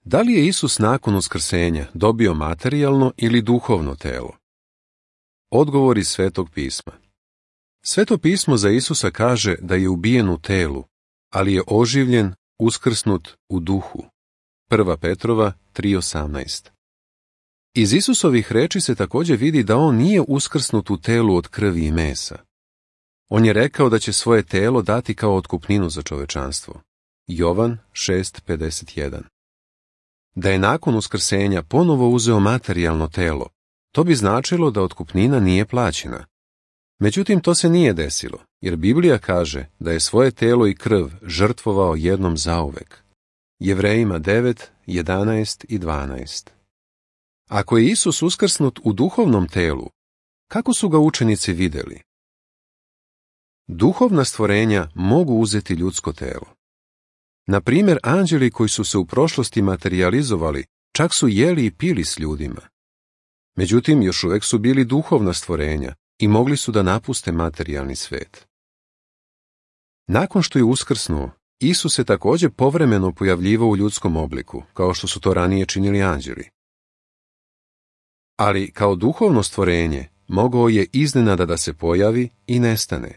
Da li je Isus nakon uskrsenja dobio materijalno ili duhovno telo? Odgovor iz Svetog pisma. Sveto pismo za Isusa kaže da je ubijen u telu, ali je oživljen, uskrsnut u duhu. 1. Petrova 3:18. Iz Isusovih reči se također vidi da on nije uskrsnut u telu od krvi i mesa. On je rekao da će svoje telo dati kao otkupninu za čovečanstvo. Jovan 6:51. Da je nakon uskrsenja ponovo uzeo materijalno telo, to bi značilo da otkupnina nije plaćena. Međutim, to se nije desilo, jer Biblija kaže da je svoje telo i krv žrtvovao jednom zauvek. Jevrejima 9:11 i 12. Ako je Isus uskrsnut u duhovnom telu, kako su ga učenici vidjeli? Duhovna stvorenja mogu uzeti ljudsko telo. Na primjer, anđeli koji su se u prošlosti materijalizovali, čak su jeli i pili s ljudima. Međutim, još uvijek su bili duhovna stvorenja i mogli su da napuste materijalni svijet. Nakon što je uskrsnuo, Isus se također povremeno pojavljivao u ljudskom obliku, kao što su to ranije činili anđeli. Ali kao duhovno stvorenje mogao je iznenada da se pojavi i nestane.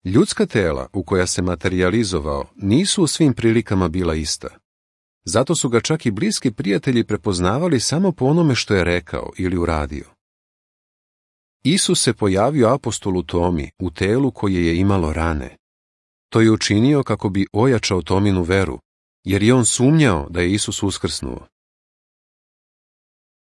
Ljudska tela u koja se materijalizovao nisu u svim prilikama bila ista. Zato su ga čak i bliski prijatelji prepoznavali samo po onome što je rekao ili uradio. Isus se pojavio apostolu Tomi u telu koje je imalo rane. To je učinio kako bi ojačao Tominu veru, jer je on sumnjao da je Isus uskrsnuo